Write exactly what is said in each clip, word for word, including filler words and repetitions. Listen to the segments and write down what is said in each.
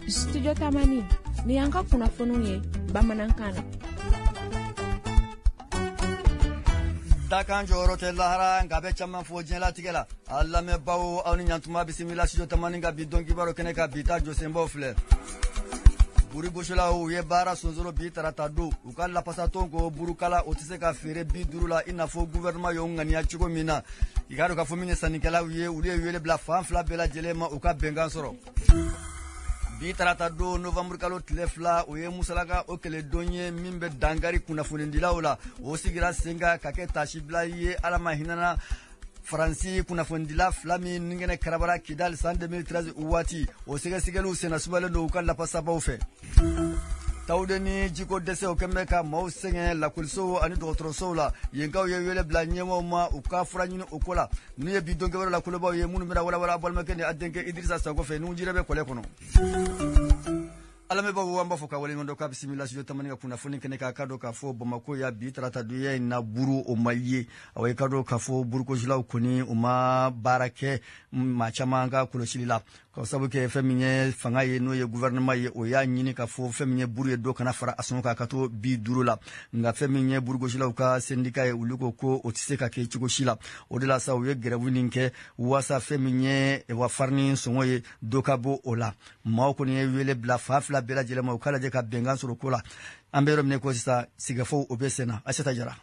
Studio Tamani ni y'an ka kunnafoniw ye bamanankan na. Dakan jɔyɔrɔ tɛ lahara nka bɛ caman fɔ diɲɛlatigɛ la. A lamɛnbaaw, aw ni ɲantuma, bisimila Studio Tamani ka bi don kibaru kɛnɛ ka bi ta jɔsenbaw filɛ. Burugosilaw u ye baara sonsoro bi tarata don. U ka lapasatɔn ko burukala o tɛ se ka feere bi duuru la i n'a fɔ gouvernement y'o ŋaniya cogo min na. I k'a dɔn k'a fɔ min ye sannikɛlaw ye, olu ye wele bila fan fila bɛɛ lajɛlen ma u ka bɛnkan sɔrɔ. Bi tarata don, novembre kalo tile fila, o ye musalaka o kɛlɛdon ye min bɛ dankari kunnafonidilaw la. O sigira sen kan ka kɛ tasibila ye Ala ma hinɛna Faransi kunnafonidila fila min ni kɛnɛ karabara Kidali san deux mille treize waati. O sɛgɛsɛgɛliw senna sumalen don u ka lapasabaw fɛ. Tawuden ni jiko dɛsɛ o kɛn bɛ ka maaw sɛgɛn lakɔlisow ani dɔgɔtɔrɔsow la. Yenkaw ye wele bila ɲɛmaaw ma u ka fura ɲini o ko la. Ninnu ye bi donkɛwɛrɛ la kolobaw ye minnu bɛna walawala balimakɛ ni a denkɛ Idirisa Sako fɛ n'u jirɛ bɛ kɔlɛ kɔnɔ. Alamɛbaaw, an b'a fɔ ka waleɲuman dɔn k'a bisimila Studio Tamani ka kunnafoni kɛnɛ kan. K'a dɔn k'a fɔ Bamako ya bi tarata donya in na, buru o ma ye. Awa, i ka dɔn k'a fɔ burukosilaw kɔni u ma baara kɛ maa caman ka kɔlɔsili la, ka sababu kɛ fɛn min ye fanga ye, n'o ye gouvernement ye, o y'a ɲini k'a fɔ fɛn min ye buru ye, dɔ kana fara a sɔngɔ kan ka to bi duuru la. Nka fɛn min ye burugosilaw ka syndicat ye, olu ko ko o tɛ se ka kɛ cogo si la. O de la sa, u ye grève nin kɛ waasa fɛn min ye wa farini sɔngɔ ye, dɔ ka bɔ o la. Maaw kɔni ye wele bila fan fila bɛɛ lajɛlen ma u k'a lajɛ ka bɛnkan sɔrɔ ko la. An bɛ yɔrɔ min ko sisan, sigikafɔw o bɛ sen na. Aseta Jara.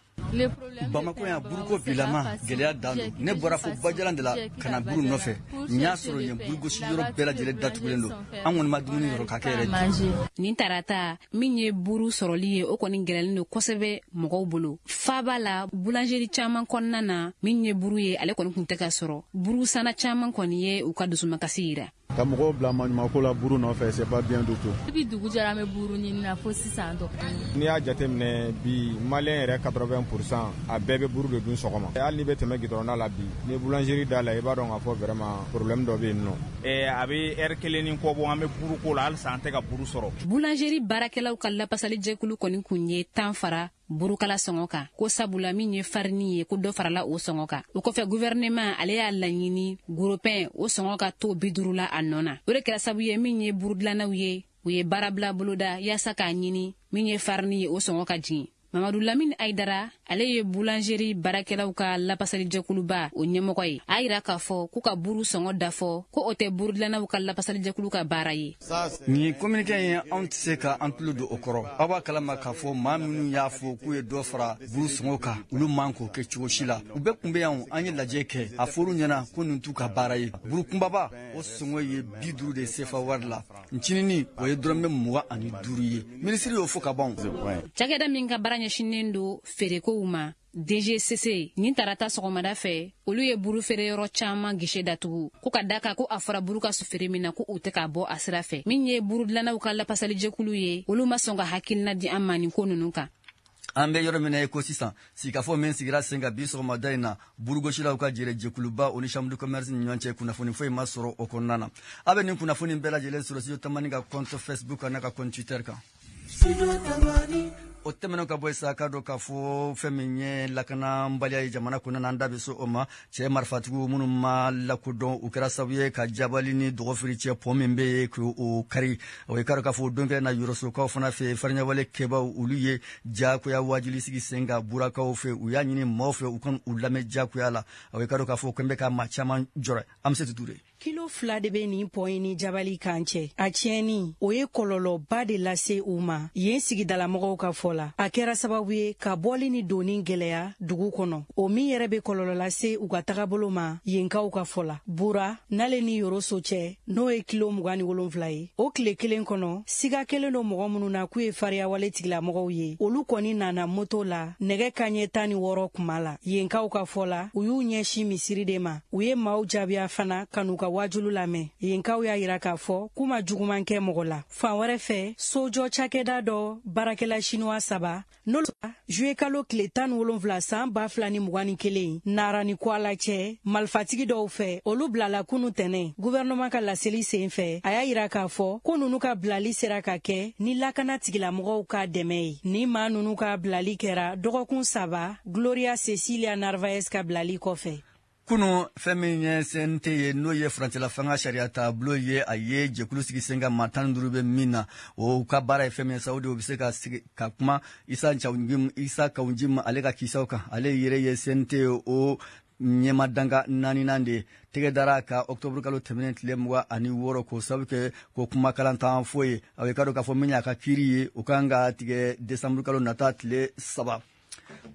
Bamako yan, buruko bilama gɛlɛya dan don. Ne bɔra fo Bajalan de la ka na buru nɔfɛ. N y'a sɔrɔ yen burugosi yɔrɔ bɛɛ lajɛlen datugulen don. An kɔni ma dumuni yɔrɔ ka kɛ yɛrɛ. Nin tarata min ye buru sɔrɔli ye, o kɔni gɛlɛlen don kosɛbɛ mɔgɔw bolo. Faba la, boulangerie caman kɔnɔna na, min ye buru ye, ale kɔni kun tɛ ka sɔrɔ. Buru sanna caman kɔni ye u ka dusumakasi yira. Ka mɔgɔw bila maɲumako la buru nɔfɛ, c'est pas bien du tout. Depuis dugu jɛra, an bɛ buru ɲini na fo sisan dɔ. N'i y'a jateminɛ bi, malien yɛrɛ quatre-vingts pour cent a bɛɛ bɛ buru de dun sɔgɔma. Hali n'i bɛ tɛmɛ goudron la bi, ni boulangerie da la, i b'a dɔn k'a fɔ vraiment problème dɔ bɛ yen nɔ. A bɛ heure kelen ni kɔ bɔ, an bɛ buru ko la, halisa an tɛ ka buru sɔrɔ. Boulangerie baarakɛlaw ka lapasalijɛkulu kɔni kun ye tan fara burukala sɔngɔ kan, ko sabula min ye farini ye, ko dɔ farala o sɔngɔ kan. O kɔfɛ, gouvernement ale y'a laɲini gros pain o sɔngɔ ka to bi duuru la a nɔ na. O de kɛra sababu ye, min ye burudilannaw ye, u ye baarabila boloda yaasa k'a ɲini min ye farini ye, o sɔngɔ ka jigin. Mamadu Lamini Ayidara, ale ye boulangerie baarakɛlaw ka lapasalijɛkuluba o ɲɛmɔgɔ ye, a yira k'a fɔ k'u ka buru sɔngɔ dafɔ, ko o tɛ burudilannaw ka lapasalijɛkulu ka baara ye. Nin communiqué in, anw tɛ se ka an tulo don o kɔrɔ. Aw b'a kalama k'a fɔ maa minnu y'a fɔ k'u ye dɔ fara buru sɔngɔ kan, olu man k'o kɛ cogo si la. U bɛɛ kun bɛ yan, an ye lajɛ kɛ, a fɔr'u ɲɛna ko nin t'u ka baara ye. Buru kunbaba o sɔngɔ ye bi duuru de sefa wari la, ncinini o ye dɔrɔmɛ mugan ani duuru ye. Minisiri y'o fɔ ka ban. Cakɛda min ka baara ɲɛsinnen don feerekow ma, D G C C, nin tarata sɔgɔmada fɛ, olu ye buru feereyɔrɔ caaman guichet datugu, ko ka da kan ko a fɔra buru ka feere min na, ko u tɛ k'a bɔ a sira fɛ. Min ye burudilannaw ka lapasalijɛkulu ye, olu ma sɔn ka hakilina di an ma nin ko nunu kan. An bɛ yɔrɔ min na i ko sisan, sigikafɔ min sigira sen kan bi sɔgɔmada in na burugosilaw ka jɛrɛ jɛkuluba o ni chambre de commerce ni ɲɔgɔn cɛ, kunnafoni foyi ma sɔrɔ o kɔnɔna na. A bɛ nin kunnafoni bɛɛ lajɛlen sɔrɔ Studio Tamani ka compte Facebook kan n'a ka compte Twitter kan. O tɛmɛnen ka bɔ sa, k'a dɔn k'a fɔ fɛn min ye lakanabaliya ye jamana kɔnɔna na, an da bɛ se o ma. Cɛ marifatigiw minnu ma lakodɔn, u kɛra sababu ye ka Jabali ni Dɔgɔfiri cɛ pont min bɛ yen, k'o kari. O ye k'a dɔn k'a fɔ don kelen na, Yɔrɔsokaw fana fɛ, fariɲɛwale kɛbaw olu ye jagoya wajuli sigi sen kan Burakaw fɛ. U y'a ɲini maaw fɛ u ka u lamɛn jagoya la. O ye k'a dɔn k'a fɔ ko n bɛ ka maa caman jɔrɔ. An bɛ se Ture. Kilo fila de bɛ nin pont in ni Jabali kan cɛ. A tiɲɛni o ye kɔlɔlɔba de lase u ma yen sigidalamɔgɔw ka fɔ la. A kɛra sababu ye ka bɔli ni donni gwɛlɛya dugu kɔnɔ, o min yɛrɛ bɛ kɔlɔlɔ lase u ka tagabolo ma yenkaw ka fɔ la. Bura n'ale ni Yoroso cɛ, n'o ye kilo mugan ni wolonfila ye, o tile kelen kɔnɔ, siga kelen don mɔgɔ minnu na k'u ye fariyawale tigilamɔgɔw ye, olu kɔni nana moto la nɛgɛ kaɲɛ tan ni wɔɔrɔ kuma la. Yenkaw ka fɔ la, u y'u ɲɛsin misiri de ma. U ye maaw jaabiya fana ka n'u ka wajulu lamɛn. Yenkaw y'a yira k'a fɔ k'u ma juguman kɛ mɔgɔ la. Fan wɛrɛ fɛ, sojɔ cakɛda dɔ baarakɛla sinuwa saba, n'olu juye kalo tile tan ni wolonfila san ba fila ni mugan ni kelen Nara ni Kwala cɛ malifatigi dɔw fɛ, olu bilala kunu tɛnɛ. Guvɛrɛnɛman ka laseli sen fɛ, a y'a yira k'a fɔ ko nunu ka bilali sera ka kɛ ni lakana tigilamɔgɔw ka dɛmɛ ye. Ni maa nunu ka bilali kɛra dɔgɔkun saba Gloria Cecilia Narvaez ka bilali kɔfɛ. Kunu fɛn min ye C N T ye, n'o ye furancɛla fanga sariya taabolo ye, a ye jɛkulu sigi sen kan maa tan ni duuru bɛ min na, o ka baara ye fɛn min ye sa, o de o bɛ se ka sigi ka kuma Isa Cawunjim Isa Kawunjim ale ka kisaw kan. Ale yɛrɛ ye C N T o ɲɛma danga naaninan de ye. Tɛgɛ dara ka octobre kalo tɛmɛnen tile mugan ani wɔɔrɔ k'o sababu kɛ ko kumakalan t'an fɔ ye. A bɛ ka dɔn k'a fɔ min y'a ka kiiri ye, o kan ka tigɛ décembre kalo nata tile saba.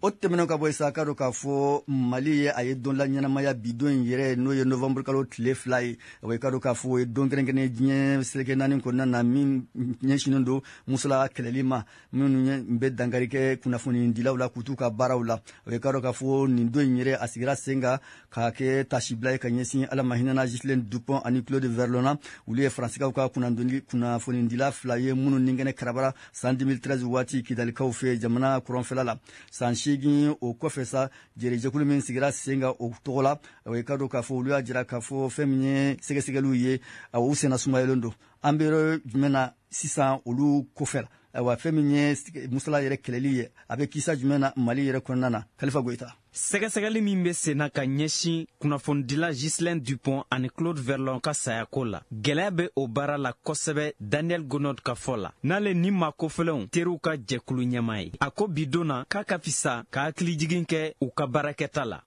O tɛmɛnen ka bɔ sa, ka dɔn k'a fɔ Mali ye a ye don la ɲɛnamaya bi don in yɛrɛ, n'o ye novembre kalo tile fila ye. O ye ka dɔn k'a fɔ o ye don kɛrɛnkɛrɛnnen diɲɛ seleke naani kɔnɔna na min ɲɛsinnen don musola kɛlɛli ma, minnu bɛ dankari kɛ kunnafonidilaw la k'u t'u ka baaraw la. O ye ka dɔn k'a fɔ nin don in yɛrɛ a sigira sen kan k'a kɛ tasibila ye ka ɲɛsin Ala ma hinɛna Ghislaine Dupont ani Claude Verlon. Olu ye Faransikaw ka kunnafonidila fila ye minnu ni kɛnɛ karabara san deux mille treize waati Kidalikaw fɛ jamana kɔrɔnfɛla la. San seegin o kɔfɛ sa, jɛrɛjɛkulu min sigira sen kan o tɔgɔ la, o ye ka dɔn k'a fɔ olu y'a jira k'a fɔ fɛn min ye sɛgɛsɛgɛliw ye, u senna sumayalen don. An bɛ yɔrɔ jumɛn na sisan olu kɔfɛ la? Ayiwa, fɛn min ye musala yɛrɛ kɛlɛli ye, a bɛ kisa jumɛn na Mali yɛrɛ kɔnɔna na? Kalifa Goyita. Sɛgɛsɛgɛli min bɛ senna ka ɲɛsin kunnafonidila Ghislaine Dupont ani Claude Verlon ka sayako la, gɛlɛya bɛ o baara la kosɛbɛ. Daniel Gonod ka fɔ la, n'ale ni maa kofɔlenw teriw ka jɛkulu ɲɛmaa ye, a ko bi don na k'a ka fisa ka hakilijigin kɛ u ka baarakɛta la.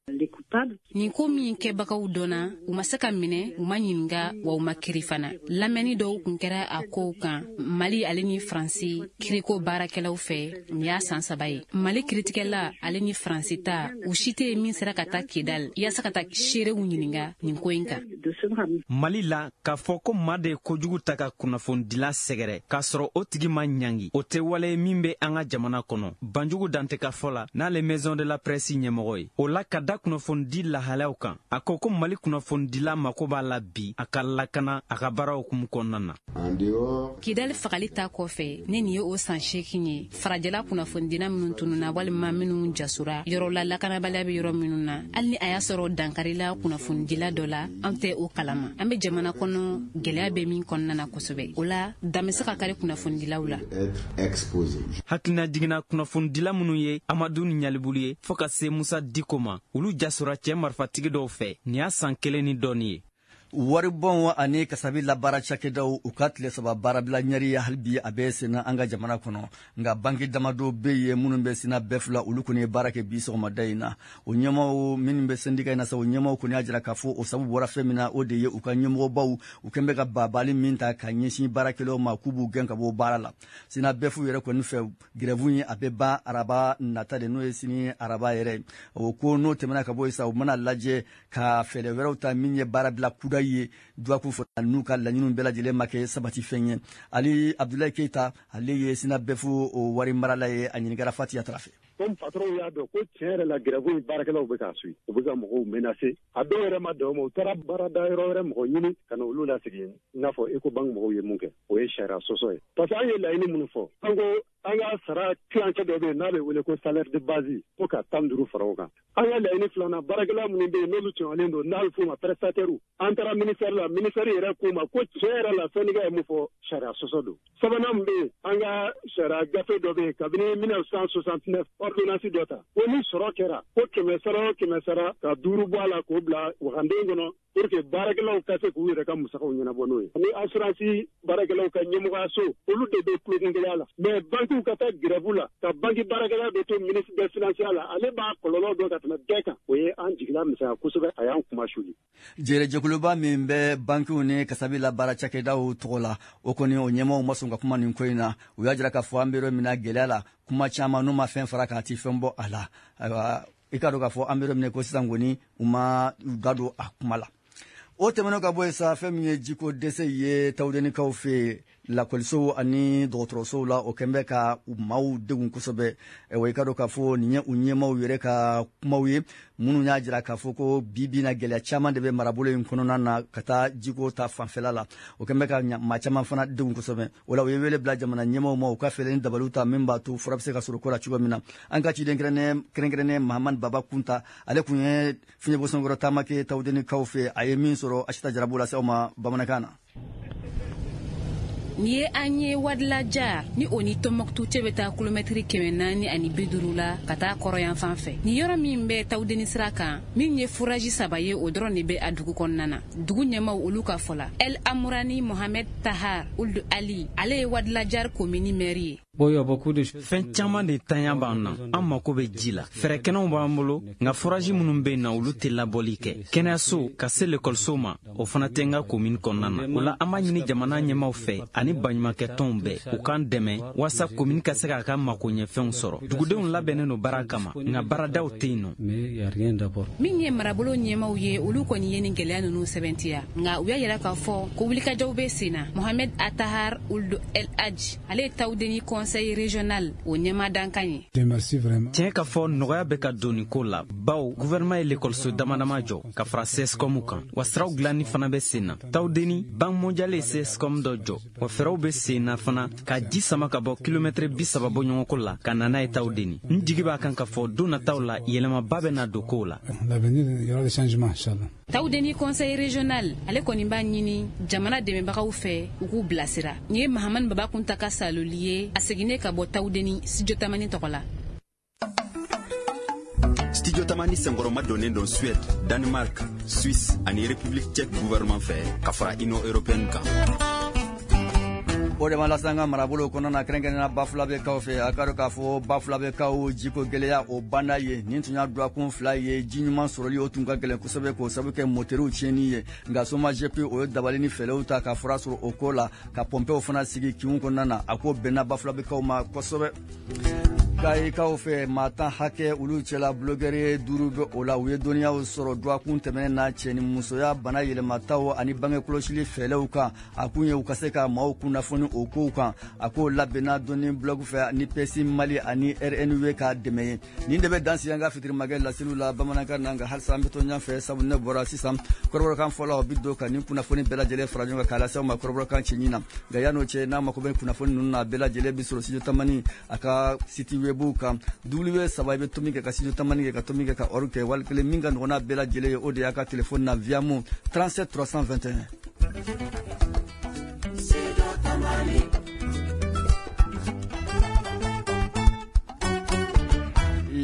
Nin ko min kɛbagaw dɔnna, u ma se ka minɛ, u ma ɲininka, wa u ma kiri fana. Lamɛnni dɔw kun kɛra a kow kan Mali ale ni Faransi kiriko baarakɛlaw fɛ nin y'a san saba ye. Mali kiritigɛla ale ni Faransi ta, u si tɛ min sera ka taa Kidal yaasa ka taa seerew ɲininka nin ko in kan. Mali la, k'a fɔ ko maa de ye kojugu ta ka kunnafonidila sɛgɛrɛ k'a sɔrɔ o tigi ma ɲangi, o tɛ wale min bɛ an ka jamana kɔnɔ. Banjugu Dante ka fɔ la, n'ale Maison de la Presse ɲɛmɔgɔ ye, o la ka da kunnafonidi lahalaw kan, a ko ko Mali kunnafonidila mako b'a la bi a ka lakana a ka baaraw hukumu kɔnɔna na. Kidal fagali ta kɔfɛ, ne nin ye o san seegin ye, farajɛla kunnafonidila minnu tununna walima minnu jasora yɔrɔ la lakanabaliya bɛ yɔrɔ minnu na, hali ni a y'a sɔrɔ dankarila kunnafonidila dɔ la, an tɛ o kalama. An bɛ jamana kɔnɔ gɛlɛya bɛ min kɔnɔna na kosɛbɛ, o la dan bɛ se ka kari kunnafonidilaw la. Hakilina jiginna kunnafonidila minnu ye Amadu ni Ɲalibulu ye fɔɔ ka se Musa Diko ma, olu jasora cɛ marifatigi dɔw fɛ nin y'a san kelen ni dɔɔni ye. Waribɔn ani kasabi labaara cakɛdaw u ka tile saba baarabila ɲɛri hali bi a bɛ senna an ka jamana kɔnɔ. Nka banki damadɔ bɛ yen minnu bɛ senna bɛɛ fila, olu kɔni ye baara kɛ bi sɔgɔmada in na. O ɲɛmaaw minnu bɛ sɛndika in na sa, o ɲɛmaaw kɔni y'a jira k'a fɔ o sababu bɔra fɛn min na, o de ye u ka ɲɛmɔgɔbaw u kɛn bɛ ka baabali min ta ka ɲɛsin baarakɛlaw ma k'u b'u gɛn ka bɔ baara la. Senna bɛɛ fu yɛrɛ kɔni fɛ, grève in a bɛ ban araba nata de, n'o ye sini araba yɛrɛ. O ko n'o tɛmɛna ka bɔ yen sa, u mana lajɛ ka fɛɛrɛ wɛrɛw ta min ye baarabila kuda ye dɔgɔkun fɔ n'u ka laɲiniw bɛɛ lajɛlen ma kɛ sabati fɛn ye. Ali Abdoulaye Keita, ale ye Sina Bɛfu o wari marala ye, a ɲininkara Fatiya Tarafe. Comme patron y'a dɔn ko tiɲɛ yɛrɛ la grève in baarakɛlaw bɛ k'a suit, u bɛ ka mɔgɔw menacer, a dɔw yɛrɛ ma dan o ma, u taara baarada yɔrɔ wɛrɛ mɔgɔ ɲini ka na olu lasigi, i n'a fɔ Ecobank mɔgɔw ye mun kɛ, o ye sariya sɔsɔ ye. Parce que an ye laɲini minnu fɔ, an ko an ka sara tilancɛ dɔ bɛ yen n'a bɛ wele ko salaire de base, ko ka tan duuru fara o kan. An ka laɲini filanan, baarakɛla minnu bɛ yen n'olu tɔɲɔlen don, n'a bɛ f'o ma prestataire, an taara ministère la, ministère yɛrɛ k'u ma ko tiɲɛ yɛrɛ la syndicat ye mun fɔ, sariya sɔsɔ don. Sabanan min bɛ yen, an ka sariya gafe dɔ bɛ yen kabini mille neuf cent soixante-neuf ordonnance dɔ ta, ko ni sɔrɔ kɛra ko kɛmɛ sara o kɛmɛ sara ka duuru bɔ a la k'o bila waganden kɔnɔ pour que baarakɛlaw ka se k'u yɛrɛ ka musakaw ɲɛnabɔ n'o ye. Ni assurance baarakɛlaw ka ɲɛmɔgɔyaso, olu de bɛ tulonkungɛlɛya la, mais bankiw ka taa grève la ka banki baarakɛla bɛ to ministre des finances la, ale b'a kɔlɔlɔ dɔn ka tɛmɛ bɛɛ kan. O ye an jigila misɛnya kosɛbɛ, a y'an kuma suli. Jɛrɛjɛkuluba min bɛ bankiw ni kasabi la baara cakɛdaw tɔgɔ la, o kɔni o ɲɛmaaw ma sɔn ka kuma nin ko in na. U y'a jira k'a fɔ an bɛ yɔrɔ min na gɛlɛya la, kuma caman n'u ma fɛn fara k'a ti fɛn bɔ a la. Ayiwa, i k'a dɔn k'a fɔ an bɛ yɔrɔ min na ko sisan kɔni u ma u da don a kuma la. O tɛmɛnen ka bɔ yen sa, fɛn min ye jiko dɛsɛ ye Tawudenikaw fɛ yen, lakɔlisow ani dɔgɔtɔrɔsow la, o kɛn bɛ ka u maaw degun kosɛbɛ. Wa i ka dɔn k'a fɔ nin ye u ɲɛmaaw yɛrɛ ka kumaw ye minnu y'a jira k'a fɔ ko bi bi na gɛlɛya caman de bɛ marabolo in kɔnɔna na ka taa jiko ta fanfɛla la. O kɛn bɛ ka maa caman fana degun kosɛbɛ. O la u ye wele bila jamana ɲɛmaaw ma u ka fɛɛrɛ ni dabaliw ta min b'a to fura bɛ se ka sɔrɔ ko la cogo min na. An ka ciden kɛrɛnkɛrɛnnen Mahamadu Baba Kunta, ale kun ye fiɲɛbɔsɔnkɔrɔ taama kɛ Tawudenikaw fɛ, a ye min sɔrɔ Asita Jarabu lase aw ma bamanankan na. Nin ye an ye Wadlajar ni o ni Tɔnbɔkutu cɛ bɛ taa kilomɛtiri kɛmɛ naani ani bi duuru la ka taa kɔrɔyan fan fɛ. Nin yɔrɔ min bɛ Tawudeni sira kan, min ye furaji saba ye, o dɔrɔn de bɛ a dugu kɔnɔna na. Dugu ɲɛmaw olu ka fɔ la, El Amurani Mohamed Tahar Ould Ali, ale ye Wadlajar komini mɛri ye. Fɛn caman de tanya b'an na, an mako bɛ ji la. Fɛɛrɛkɛnɛw b'an bolo, nka furaji minnu bɛ yen na, olu tɛ labɔli kɛ. Kɛnɛyaso ka se lekɔliso ma, o fana tɛ n ka komini kɔnɔna na. O la an b'a ɲini jamana ɲɛmaw fɛ ani baɲumankɛtɔnw bɛɛ, u k'an dɛmɛ walasa komini ka se k'a ka makoɲɛfɛnw sɔrɔ. Dugudenw labɛnnen don baara kama, nka baaradaw tɛ yen nɔ. Min ye marabolo ɲɛmaw ye, olu kɔni ye nin gɛlɛya ninnu sɛbɛntiya, nka u y'a yira k'a fɔ ko wulikajɔw bɛ sen na. Mohamed Atahar Ould El Hadj, ale ye Tawudeni conseil régional o ɲɛma dankan ye. Tiɲɛ ka fɔ, nɔgɔya bɛ ka don nin ko la, bawo gouvernement ye lekɔliso dama dama jɔ ka fara C S C O M kan, wa siraw dilanni fana bɛ sen na. Tawudeni, Banque mondiale ye C S C O M dɔ jɔ, wa fɛɛrɛw bɛ sen na fana ka ji sama ka bɔ kilomɛtɛrɛ bi saba bɔ ɲɔgɔnko la ka na n'a ye Tawudeni. N jigi b'a kan ka fɔ don nataw la, yɛlɛmaba bɛ na don kow la. Tawudeni conseil régional, ale kɔni b'a ɲini jamana dɛmɛbagaw fɛ u k'u bilasira. Nin ye Mahamani Babakunta ka saloli ye, a seginnen ka bɔ Tawudeni Studio Tamani tɔgɔ la. Studio Tamani senkɔrɔma donnen don Suède, Danemark, Suisse ani République tchèque gouvernement fɛ ka fara Union européenne kan. O de ma lase an ka marabolo kɔnɔna na, kɛrɛnkɛrɛnnenya Bafulabɛkaw fɛ. A ka dɔn k'a fɔ Bafulabɛkaw jiko gɛlɛya o banna ye. Nin tun y'a dɔgɔkun fila ye, ji ɲuman sɔrɔli o tun ka gɛlɛn kosɛbɛ k'o sababu kɛ moteriw tiɲɛni ye. Nka SOMAGEP o ye dabali ni fɛɛrɛw ta ka fura sɔrɔ o ko la, ka pɔnpew fana sigi kinw kɔnɔna na. A ko bɛnna Bafulabɛkaw ma kosɛbɛ. Kayikaw fɛ, maa tan hakɛ, olu cɛla bulogɛri duuru bɛ o la, u ye dɔnniyaw sɔrɔ dɔgɔkun tɛmɛnen na cɛ ni musoya bana yɛlɛmataw ani bange kɔlɔsili fɛɛrɛw kan. A kun ye u ka se ka maaw kunnafoni o kow kan. A ko labɛnna dɔnni blog fɛ ni P S I Mali ani R N W ka dɛmɛ ye. Nin de bɛ dan sigi an ka fitirimakɛ laseliw la bamanankan na. Nka halisa an bɛ to ɲɛfɛ, sabu ne bɔra sisan kɔrɔbɔrɔkan fɔlɔ, o bɛ don ka nin kunnafoni bɛɛ lajɛlen fara ɲɔgɔn kan k'a lase aw ma kɔrɔbɔrɔkan cɛɲi na. Nka yan'o cɛ, n'a mako bɛ kunnafoni ninnu na, a bɛɛ lajɛlen bɛ sɔrɔ Studio Tamani a ka site web kan, W saba, i bɛ tomi kɛ ka Studio Tamani kɛ ka tomi kɛ ka org kɛ. Wali kelen min ka nɔgɔn n'a bɛɛ lajɛlen ye, o de y'a ka telefɔni na Viamo trente-sept trois cent vingt et un. Studio Tamani.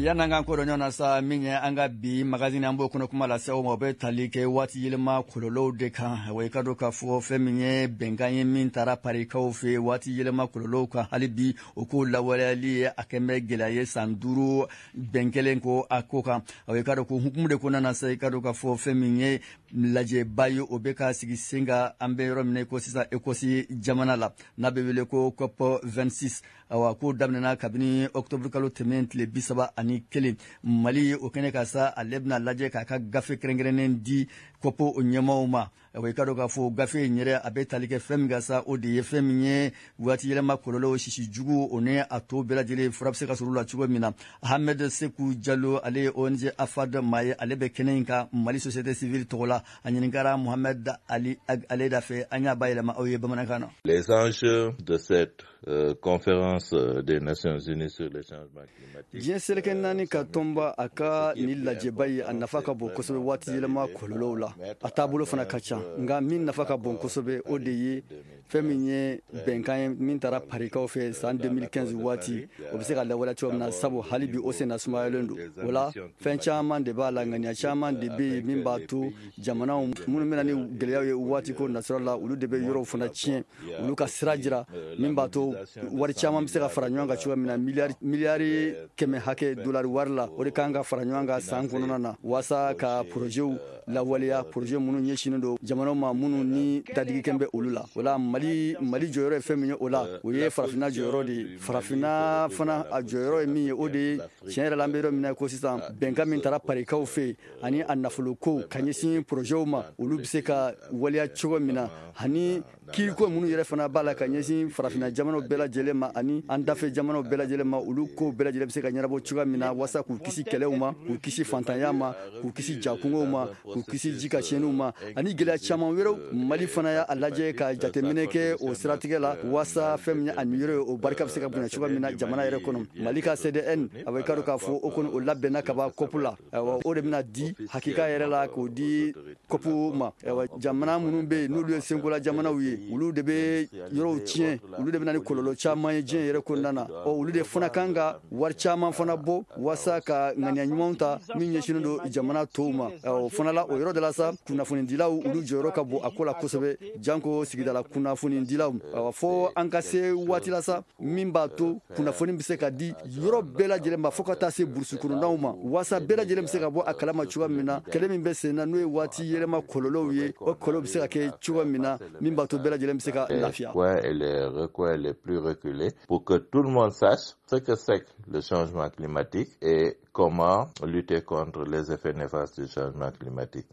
Yan'an k'an ko dɔn ɲɔgɔn na sa, min ye an ka bi magazine, an b'o kɔnɔ kuma lase aw ma, o bɛ tali kɛ waati yɛlɛma kɔlɔlɔw de kan. Wa i ka dɔn k'a fɔ fɛn min ye bɛnkan ye min taara Parikaw fɛ waati yɛlɛma kɔlɔlɔw kan, hali bi o ko lawaleyali ye a kɛn bɛ gɛlɛya ye san duuru bɛn kelen ko a ko kan. I ka dɔn ko hukumu de kɔnɔna na sa, i ka dɔn k'a fɔ fɛn min ye lajɛba ye, o bɛ ka sigi sen kan an bɛ yɔrɔ min na i ko sisan, Écosse jamana la, n'a bɛ wele ko COP vingt-six. Awa, ko daminɛna kabini octobre kalo tɛmɛnen tile bi saba ani kelen. Mali o kɛnɛ ka sa, ale bɛna lajɛ k'a ka gafe kɛrɛnkɛrɛnnen di C O P o ɲɛmaaw ma. Awa, i ka dɔn k'a fɔ gafe in yɛrɛ, a bɛ tali kɛ fɛn min kan sa, o de ye fɛn min ye waati yɛlɛma kɔlɔlɔw sisi jugu, o ni a to bɛɛ lajɛlen fura bɛ se ka sɔrɔ u la cogo min na. Ahmed Seku Jalo, ale ye O N G AFAD maa ye, ale bɛ kɛnɛ in kan Mali société civile tɔgɔ la. A ɲininkara Mohamed Ali Aleda fɛ, an y'a bayɛlɛma aw ye bamanankan na. Les enjeux de cette euh, conférence des Nations Unies sur les changements climatiques. Diɲɛ seleke naani ka tɔnba a ka nin lajɛba ye, a nafa ka bon kosɛbɛ waati yɛlɛma kɔlɔlɔw la. A taabolo fana ka ca, nka min nafa ka bon kosɛbɛ, o de ye fɛn min ye bɛnkan ye min taara Parikaw fɛ san deux mille quinze waati, o bɛ se ka lawaleya cogo min na, sabu hali bi o senna sumayalen don. O la fɛn caman de b'a la, ŋaniya caman de bɛ yen min b'a to jamanaw minnu bɛna ni gɛlɛyaw ye waati ko nasɔrɔ la, olu de bɛ yɔrɔw fana tiɲɛ, olu ka sira jira min b'a to wari caman bɛ se ka fara ɲɔgɔn kan cogoya min na. Miliyari miliyari kɛmɛ hakɛ dolari wari la, o de kan ka fara ɲɔgɔn kan san kɔnɔna na waasa ka porozɛw lawaleya, projet minnu ɲɛsinnen don jamanaw ma minnu ni dadigikɛn bɛ olu la. O la mali mali jɔyɔrɔ ye fɛn min ye o la, o ye Farafinna jɔyɔrɔ de ye. Farafinna fana a jɔyɔrɔ ye min ye, o de ye tiɲɛ yɛrɛ la, an bɛ yɔrɔ min na ko sisan, bɛnkan min taara Parikaw fɛ yen ani a nafoloko ka ɲɛsin porozɛw ma, olu bɛ se ka waleya cogo min na, ani kiiriko minnu yɛrɛ fana b'a la ka ɲɛsin Farafinna jamanaw bɛɛ lajɛlen ma ani an dafɛ jamanaw bɛɛ lajɛlen ma, olu kow bɛɛ lajɛlen bɛ se ka ɲɛnabɔ cogoya min na. na, waasa k'u kisi kɛlɛw ma, k'u kisi fantanya ma, k'u kisi jakungow ma, k'u kisi ji ka tiɲɛniw ma, ani gɛlɛya caman wɛrɛw. Mali fana y'a lajɛ ka jateminɛ kɛ o siratigɛ la, waasa fɛn min ye a niyɔrɔ ye, o barika bɛ se ka bonya cogoya min na jamana yɛrɛ kɔnɔ. Mali ka C D N, a bɛ ka dɔn k'a fɔ o kɔni, o labɛnna ka ban C O P la. Ayiwa, o de bɛna di hakika yɛrɛ la k'o di C O P ma. Ayiwa, jamana minnu bɛ yen, n'olu ye senkola jamanaw ye, olu de bɛ yɔrɔw tiɲɛ, olu de bɛ na ni kɔlɔlɔ caman ye diɲɛ yɛrɛ kɔnɔna na. Ɔ, olu de fana kan ka wari caman fana bɔ waasa ka ŋaniya ɲumanw ta min ɲɛsinnen don jamana tɔw ma. O fana la, o yɔrɔ de la sa, kunnafonidilaw, olu jɔyɔrɔ ka bon a ko la kosɛbɛ, janko sigidala kunnafonidilaw. Fo an ka se waati la sa min b'a to kunnafoni bɛ se ka di yɔrɔ bɛɛ lajɛlen ma, fo ka taa se burusi kɔnɔnaw ma, waasa bɛɛ lajɛlen bɛ se ka bɔ a kalama cogoya min na kɛlɛ min bɛ sen na, n'o ye waati yɛlɛma kɔlɔlɔw ye, o kɔlɔlɔ bɛ se ka kɛ cogoya min na min b'a to bɛɛ lajɛlen bɛ se ka lafiya. Et les recoins les plus reculés, pour que tout le monde sache ce que c'est que le changement climatique et comment lutter contre les effets néfastes du changement climatique.